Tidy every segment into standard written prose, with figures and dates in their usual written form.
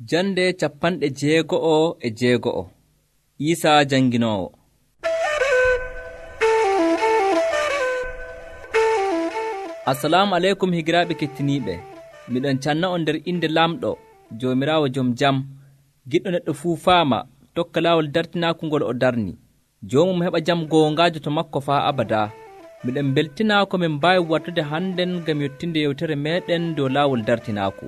Jande 66 Iisaa janginoowo. Assalamu aleykum higiraaɓe kettiniiɓe. Miɗon canna on nder inde Lamɗo, Joomiraawo jom jam, giɗɗo neɗɗo fuu faama, tokka laawol dartinaaku ngol o darni. Joomum heɓa jam goongaajo to makko faa abadaa. Miɗen mbeltinaa ko min mbaawi wartude hannden ngam yottinde yewtere meeɗen dow laawol dartinaaku.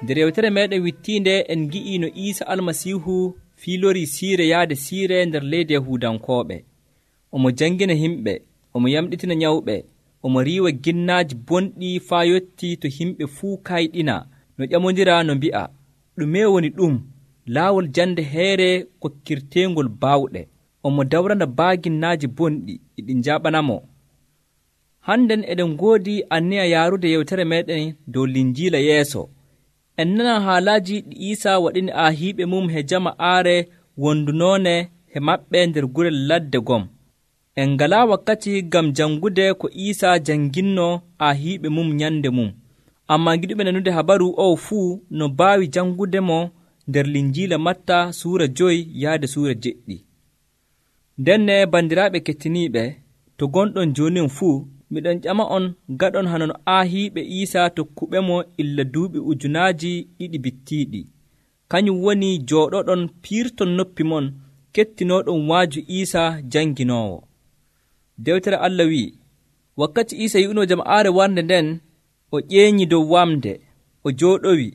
Nder yewtere meeɗen wittiinde en ngi'ii no Iisa Almasiihu fiilorii siire yaade siire nder leydi Yahuudankooɓe. Omo jangina himɓe, omo yamɗitina nyawɓe, omo riiwa ginnaaji bonɗi faa yottii to himɓe fuu kayɗina no ƴamondira no mbi'a, ɗume woni ɗum? Laawol jande heere kokkirteengol baawɗe. Omo dawrana baaginnaaji bonɗi ɗi njaaɓanamo. Hannden eɗen ngoodi anniya yaarude yewtere meeɗen dow Linjiila yeeso. En nana haalaaji ɗi Iisaa waɗini aahiiɓe mum he jama'aare wondunoone he maɓɓe nder gurel ladde gom. En ngalaa wakkati ngam jangude ko Iisaa janginno aahiiɓe mum nyande mum. Ammaa giɗuɓe nanude habaru o fuu no mbaawi jangude mo nder Linjiila Matta suura 5 yaade suura 7. Ndenne bandiraaɓe kettiniiɓe, to gonɗon joonin fuu, miɗon ƴama on gaɗon hano no aahiiɓe Iisaa tokkuɓe mo illa duuɓi 2,000 bittiiɗi. Kañum woni jooɗoɗon piirton noppi mon kettinooɗon waaju Iisaa janginoowo. Dewtere Allah wi'i, wakkati Iisa yi'unoo jama'aare warnde nden, o ƴeenyi dow wamde, o jooɗowi,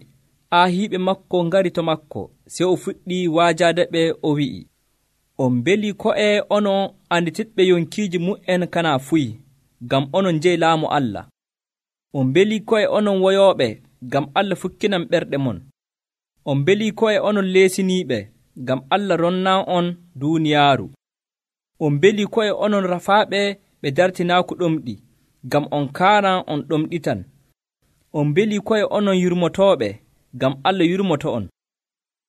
aahiiɓe makko ngari to makko, sey o fuɗɗi waajaade ɓe, o wi'i, on mbeli ko'e onon anditiɓɓe yonkiiji mu'en kana fuyi, ngam onon njeyi laamu Allah. On mbeli ko'e onon woyooɓe, ngam Allah fukkinan ɓerɗe mon. On mbeli ko'e onon leesiniiɓe, ngam Allah ronnan on duuniyaaru. On mbeli ko'e onon rafaaɓe ɓe dartinaaku ɗomɗi, ngam on kaaran on ɗomɗitan. On mbeli ko'e onon yurmotooɓe, ngam Allah yurmoto on.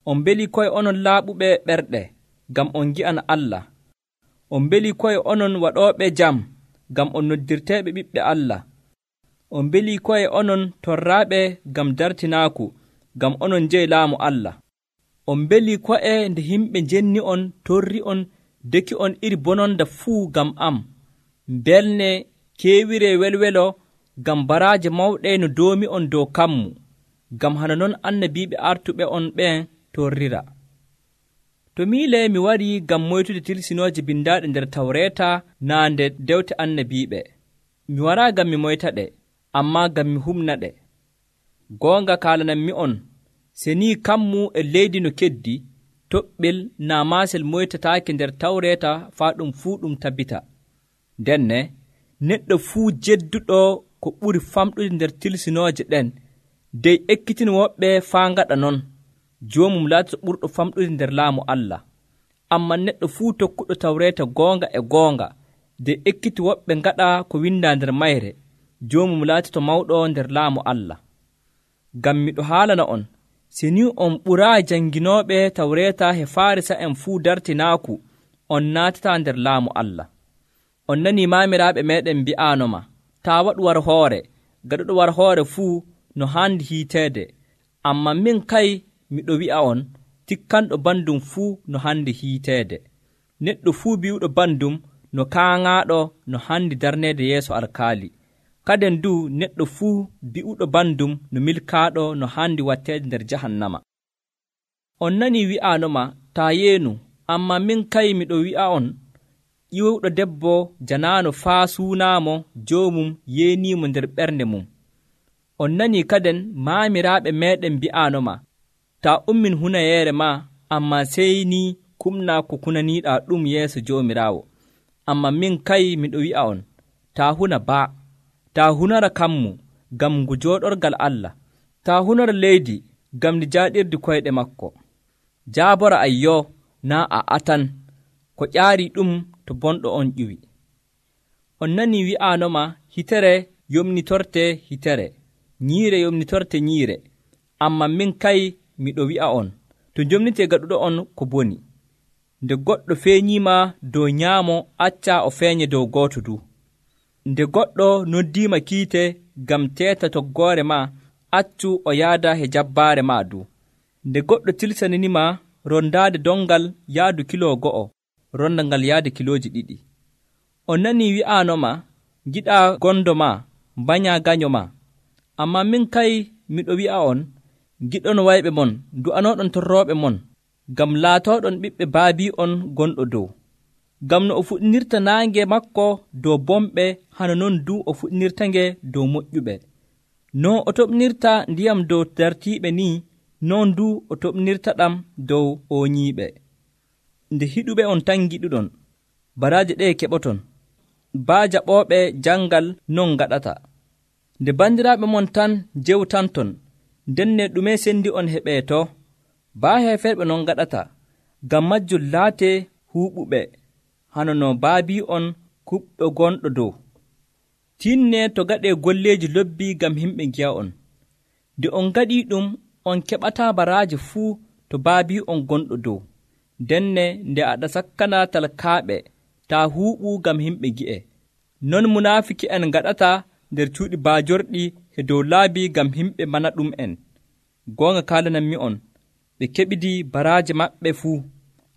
On mbeli ko'e onon laaɓuɓe ɓerɗe, ngam on ngi'ana Allah. On mbeli ko'e onon waɗooɓe jam, ngam on noddirteeɓe ɓiɓɓe Allah. On mbeli ko'e onon torraaɓe ngam dartinaaku, ngam onon njeyi laamu Allah. On mbeli ko'e nde yimɓe njenni on torri on deki on iri bononda fuu ngam am. Mbelne keewire welwelo ngam baraaje mawɗe no doomi on dow kammu, ngam hana non annabiiɓe artuɓe on ɓen torrira. To miile mi warii ngam moytude tilsinooje bindaaɗe nder Tawreeta naa nde dewte annabiiɓe. Mi waraa ngam mi moyta ɗe, ammaa ngam mi humna ɗe. Goonga kaalananmi on, se nii kammu e leydi no keddi, toɓɓel naa maasel moytataake nder Tawreeta faa ɗum fuu ɗum tabbita. Ndenne, neɗɗo fuu jedduɗo ko ɓuri famɗude nder tilsinooje ɗen, dey ekkitina woɓɓe faa ngaɗa non, joomum laatoto ɓurɗo famɗude nder laamu Allah. Ammaa neɗɗo fuu tokkuɗo Tawreeta goonga, dey ekkiti woɓɓe ngaɗa ko windaa nder mayre, joomum laatoto mawɗo nder laamu Allah. Ngam miɗo haalana on, si ni on ɓuraa janginooɓe Tawreeta he Faarisa'en fuu dartinaaku, on naatataa nder laamu Allah. On nanii maamiraaɓe meeɗen mbi'aanoma, taa waɗu war hoore, gaɗuɗo war hoore fuu no haandi hiiteede. Ammaa min kay miɗo wi'a on, tikkanɗo bandum fuu no haandi hiiteede. Neɗɗo fuu bi'uɗo bandum no kaaŋaaɗo no haandi darneede yeeso alkaali. Kaden du neɗɗo fuu bi'uɗo bandum no milkaaɗo no haandi watteede nder jahannama. On nanii wi'aanoma, taa yeenu, ammaa min kay miɗo wi'a on, ƴiwuɗo debbo janaano faa suunaamo joomum yeeniimo nder ɓernde mum. On nanii kaden maamiraaɓe meeɗen mbi'aanoma, taa ummin hunayeere maa, ammaa sey ni kumnaa ko kunaniiɗaa ɗum yeeso Joomiraawo. Ammaa min kay miɗo wi'a on, taa huna baa, taa hunara kammu ngam ngu jooɗorgal Allah, taa hunara leydi ngam ndi jaaɗirdi koyɗe makko. Jaabora ayyo naa a atan, ko ƴaarii ɗum to bonɗo on ƴiwi. On nanii wi'aanoma, hitere yomnitorte hitere, nyiire yomnitorte nyiire. Ammaa min kay miɗo wi'a on, to njomnitee gaɗuɗo on ko boni. Nde goɗɗo feeñiima dow nyaamo, accaa o feeñe dow gooto du. Nde goɗɗo noddiima kiite ngam teeta toggoore maa, accu o yaada he jabbaare maa du. Nde goɗɗo tilsaninima rondaade dongal yaadu kilo 1, ronda ngal yaade kilooji 2. On nanii wi'aanoma, giɗaa gondo maa, banyaa ganyo maa. Ammaa min kay miɗo wi'a on, giɗon wayɓe mon, du'anooɗon torrooɓe mon, ngam laatooɗon ɓiɓɓe baabi'on gonɗo dow. Ngam no o fuɗɗinirta naange makko dow bomɓe, hano non du o fuɗɗinirta-nge dow moƴƴuɓe. No o toɓnirta ndiyam dow dartiiɓe ni, non du o toɓnirta ɗam dow ooñiiɓe. Nde hiɗuɓe on tan giɗuɗon, baraaje ɗe keɓoton. Baa jaɓooɓe jangal non gaɗata. Nde bandiraaɓe mon tan jewtanton, ndenne ɗume sendi on heɓeeto? Baa heeferɓe non gaɗata, ngam majjum laatee huuɓuɓe, hano no baabi'on kuɓɗo gonɗo dow. Tinne to gaɗee golleeji lobbi ngam himɓe ngi'a'on. Nde on gaɗii ɗum, on keɓataa baraaji fuu to baabi'on gonɗo dow. Ndenne nde aɗa sakkana talkaaɓe, taa huuɓu ngam himɓe ngi'e. Non munaafiki'en gaɗata nder cuuɗi baajorɗi e dow laabi ngam himɓe mana ɗum'en. Goonga kaalananmi'on, ɓe keɓidii baraaji maɓɓe fuu.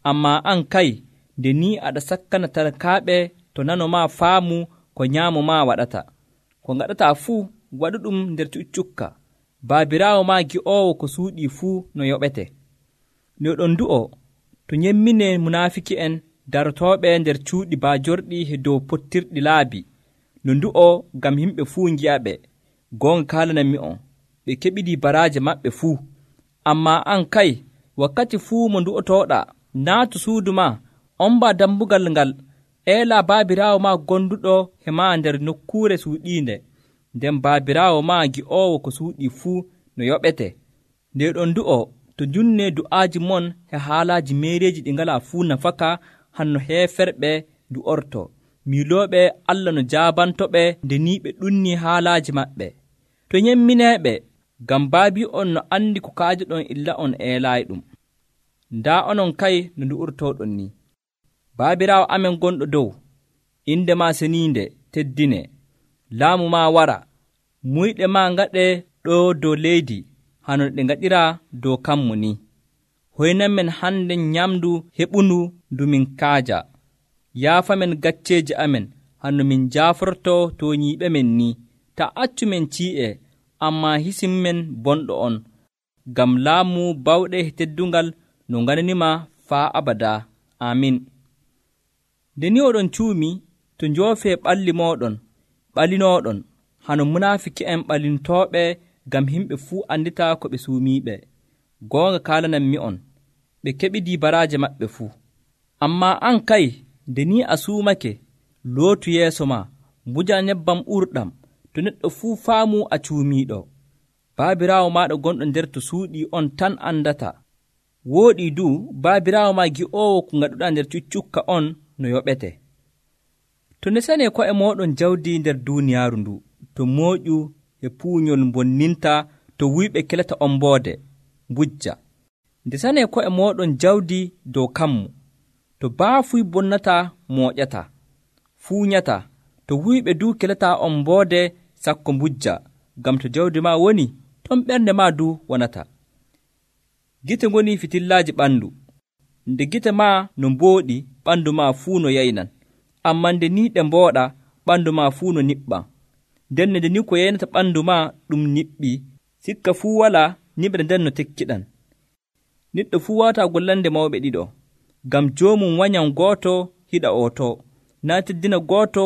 Ammaa an kay, nde ni aɗa sakkana talkaaɓe to nanomaa faamu ko nyaamo maa waɗata. Ko ngaɗataa fuu, waɗu ɗum nder cuccukka. Baabiraawo maa gi'oowo ko suuɗii fuu no yoɓete. Nde oɗon du'o, to nyemminee munaafiki'en darotooɓe nder cuuɗi baajorɗi e dow pottirɗi laabi, no ndu'o ngam himɓe fuu ngi'aɓe. Goonga kaalananmi'on, ɓe keɓidii baraaje maɓɓe fuu. Ammaa an kay, wakkati fuu mo ndu'otooɗaa, naatu suudu maa, ombaa dambugal ngal, eelaa baabiraawo maa gonduɗo e maa nder nokkuure suuɗiinde. Nden baabiraawo maa gi'oowo ko suuɗii fuu no yoɓete. Nde ɗon du'o, to njunnee du'aaji mon e haalaaji meereeji ɗi ngalaa fuu nafaka, hanno heeferɓe du'orto, miilooɓe Allah no jaabantoɓe nde ni ɓe ɗunnii haalaaji maɓɓe. To nyemmineeɓe, ngam baabi'on no anndi ko kaajoɗon illa on eelaayiɗum. Ndaa onon kay no ndu'urtooɗon ni. Baabiraawo amen gonɗo dow, inde maa seniinde teddine, laamu maa wara, muyɗe maa ngaɗee ɗoo dow leydi, hano ɗe ngaɗiraa dow kammu ni. Hoynan men hande nyamdu heɓundu ndu min kaaja. Yaafamen gacceeji amen, hanno min jaaforto tooñiiɓe men ni. Ta accu men cii'e, ammaa hisim men bonɗo on, ngam laamu bawɗe e teddungal no ngananima faa abada. Amin. Nde ni oɗon cuumi, to njoofee ɓalli mooɗon, ɓalinooɗon, hano munaafiki'en ɓalintooɓe ngam himɓe fuu andita ko ɓe suumiiɓe. Goonga kaalananmi'on, ɓe keɓidii baraaje maɓɓe fuu. Ammaa an kay, nde ni a suumake, lootu yeeso maa, mbuja nebbam ɓurɗam, to neɗɗo fuu faamu a cuumiiɗo. Baabiraawo maaɗa gonɗo nder to suuɗii on tan andata. Wooɗii du baabiraawo maa gi'oowo ko ngaɗuɗaa nder cuccukka on no yoɓete. To nesanee ko'e mooɗon jawdi nder duuniyaaru ndu, to mooƴu e puuñol bonninta, to wuyɓe kelata omboode, mbujja. Ndesanee ko'e mooɗon jawdi dow kammu, to baafuy bonnata mooƴata, fuuñata, to wuyɓe du kelata omboode sakko mbujja, ngam to jawdi maa woni, ton ɓernde maa du wonata. Gite ngoni fitillaaji ɓandu. Nde gite maa no mbooɗi, ɓandu maa fuu no yaynan. Ammaa nde ni ɗe mbooɗa, ɓandu maa fuu no niɓɓan. Nden nde ni ko yaynata ɓandu maa ɗum niɓɓi, sikka fuu walaa niɓre nden no tekkiɗan. Neɗɗo fuu waawataa gollande mawɓe ɗiɗo, ngam joomum wanyan gooto hiɗa ooto, naa teddina gooto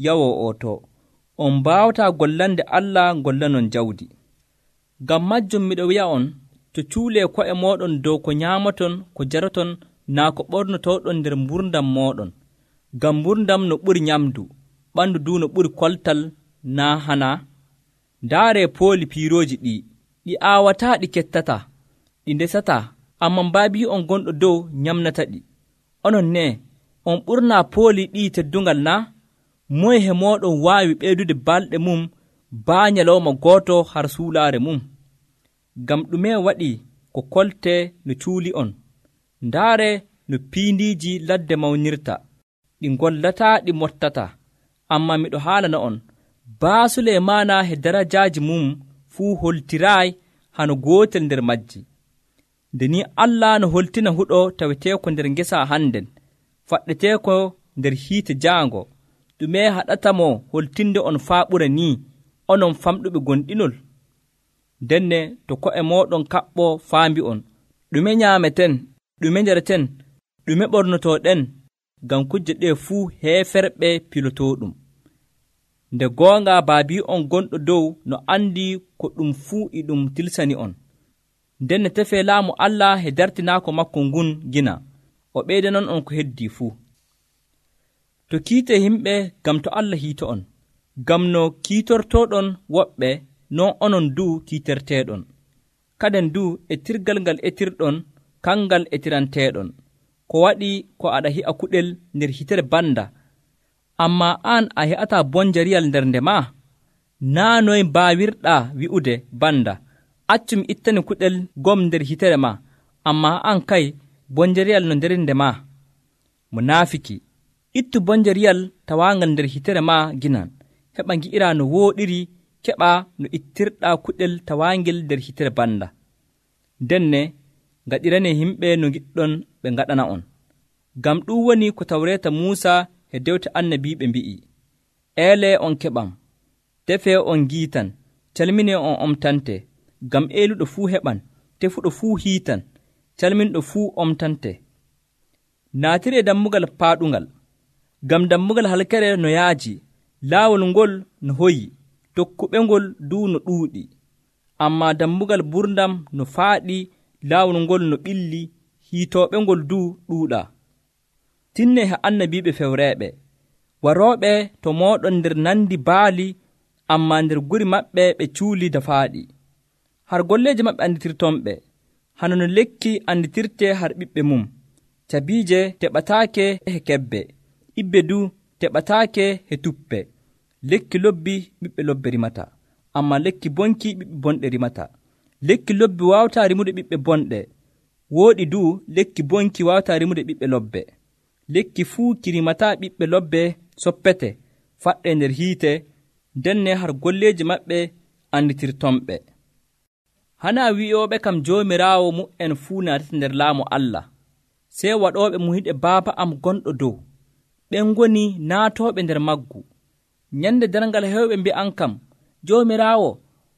yawoo ooto. On mbaawataa gollande Allah gollanon jawdi. Ngam majjum miɗo wi'a on, to cuulee ko'e mooɗon dow ko nyaamaton, ko jaraton, naa ko ɓornotooɗon nder mburdam mooɗon. Ngam mburdam no ɓuri nyamdu, ɓandu du no ɓuri koltal, naa hana. Ndaaree pooli piirooji ɗi aawataa ɗi kettata, ɗi ndesataa, amman baabi'on gonɗo dow nyamnata ɗi. Onon ne, on ɓurnaa pooli ɗi teddungal naa? Moye he mooɗon waawi ɓeydude balɗe mum baa nyalawma gooto har suulaare mum? Ngam ɗume waɗi ko kolte no cuuli on? Ndaare no piindiiji ladde mawnirta, ɗi ngollataa ɗi mottata. Ammaa miɗo haalana on, baa Suleymaana he darajaaji mum fuu holtiraay hano gootel nder majji. Nde ni Allah no holtina huɗo taweteeko nder ngesa hannden, faɗɗeteeko nder hiite jaango, ɗume haɗata mo holtinde on faa ɓura ni, onon famɗuɓe gonɗinol? Denne to ko'e mooɗon kaɓɓo faambi on, ɗume nyaameten, ɗume njareten, ɗume ɓornotoɗen, ngam kujje ɗe fuu heeferɓe pilotooɗum. Nde goonga baabi on gonɗo dow no andi ko ɗum fuu e ɗum tilsani on. Nden ne tefee laamu Allah he dartinaako makko ngun gina, o ɓeydanon on ko heddii fuu. To kiite himɓe ngam to Allah hiito on, ngam no kiitortooɗon woɓɓe, non onon duu kiiterteeɗon. Kaden duu etirgal ngal etirɗon, kangal etiranteeɗon. Ko waɗi ko aɗa hi'a kuɗel nder hitere banda, ammaa aan a he'ataa bonjariyal nder nde maa? Naa noy mbaawirɗaa wi'ude banda, accumi ittani kuɗel gom nder hitere maa, ammaa aan kay bonjariyal no nder nde maa? Munaafiki, ittu bonjariyal tawaangal nder hitere maa ginan, heɓa ngi'iraa no wooɗiri, keɓaa no ittirɗaa kuɗel tawaangel nder hitere banda. Denne ngaɗirane himɓe no giɗɗon ɓe ngaɗana on. Ngam ɗum woni ko Tawreeta Muusa e dewte annabiiɓe mbi'i: eele on keɓam, tefee on ngiitan, calminee on omtante. Ngam eeluɗo fuu heɓan, tefuɗo fuu hiitan, calminɗo fuu omtante. Naatiree dammugal paaɗungal, ngam dammugal halkere no yaaji, laawol ngol no hoyi, tokkuɓengol duu no ɗuuɗi. Ammaa dammugal ɓurdam no faaɗi, laawol ngol no ɓilli, hiitooɓengol duu ɗuuɗaa. Tinne he annabiiɓe fewreeɓe, warooɓe to mooɗon nder nandi baali, ammaa nder guri maɓɓe ɓe cuuli dafaaɗi. Har golleeje maɓɓe anditirtonɓe, hano no lekki anditirtee har ɓiɓɓe mum. Cabiije teɓataake he kebbe, ibbe duu teɓataake he tuppe. Lekki lobbi ɓiɓɓe lobbe rimata, ammaa lekki bonki ɓiɓɓe bonɗe rimata. Lekki lobbi waawataa rimude ɓiɓɓe bonɗe, wooɗi duu lekki bonki waawataa rimude ɓiɓɓe lobbe. Lekki fuu ki rimataa ɓiɓɓe lobbe soppete, faɗɗe nder hiite, denne har golleeji maɓɓe anditirtonɓe. Hanaa wi'ooɓe kam Joomiraawo mu'en fuu naatata nder laamu Allah, sey waɗooɓe muhiɗe Baaba am gonɗo dow, ɓen ngoni naatooɓe nder maggu. Nyande darngal hewɓe mbi'an kam, Joomiraawo,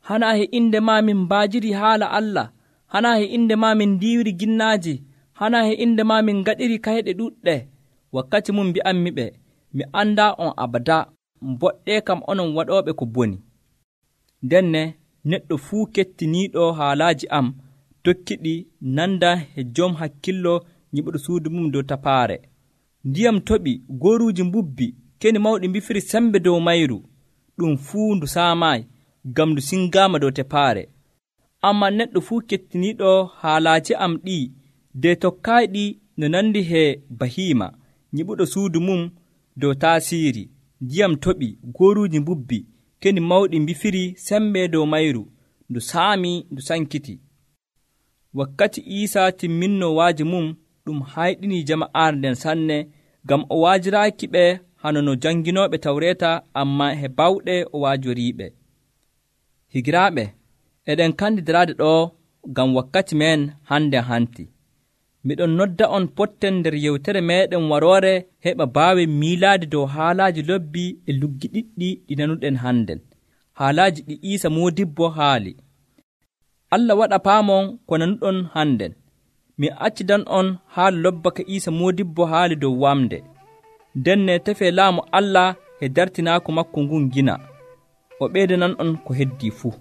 hanaa he inde maa min mbaajiri haala Allah, hanaa he inde maa min ndiiwiri ginnaaji, hanaa he inde maa min ngaɗiri kayɗe ɗuɗɗe. Wakkati mum mbi'anmi ɓe, mi anndaa on abada, mboɗɗee kam onon waɗooɓe ko boni. Denne neɗɗo fuu kettiniiɗo haalaaji am tokkiɗi nanda he jom hakkillo nyiɓuɗo suudu mum dow tapaare. Ndiyam toɓi, gooruuji mbubbi, keni mawɗi mbifiri sembe dow mayru, ɗum fuu ndu saamaayi, ngam ndu singaama dow tepaare. Ammaa neɗɗo fuu kettiniiɗo haalaaji am ɗii, de tokkaaɗi no nandi he bahiima, nyiɓuɗo suudu mum dow taasiiri. Ndiyam toɓi, gooruuji mbubbi, keni mawɗi mbifiri sembe dow mayru, ndu saami, ndu sankiti. Wakkati Iisaa timminnoo waaji mum, ɗum hayɗinii jama'aare nden sanne, ngam o waajiraaki ɓe hano no janginooɓe Tawreeta, ammaa he bawɗe o waajoriiɓe. Higiraaɓe, eɗen kandi daraade ɗo ngam wakkati men hande hanti. Miɗon nodda on potten nder yewtere meɗen waroore heɓa baawen miilaade dow haalaaji lobbi e luggi ɗiɗɗi ɗi nanuɗen hannden, haalaaji ɗi Iisa Moodibbo haali. Allah waɗa paamon ko nanuɗon hannden. Mi accidan on haala lobba ka Iisa Moodibbo haali dow wamde. Denne tefee laamu Allah e dartinaako makko ngun gina, o ɓeydanan on ko heddii fuu.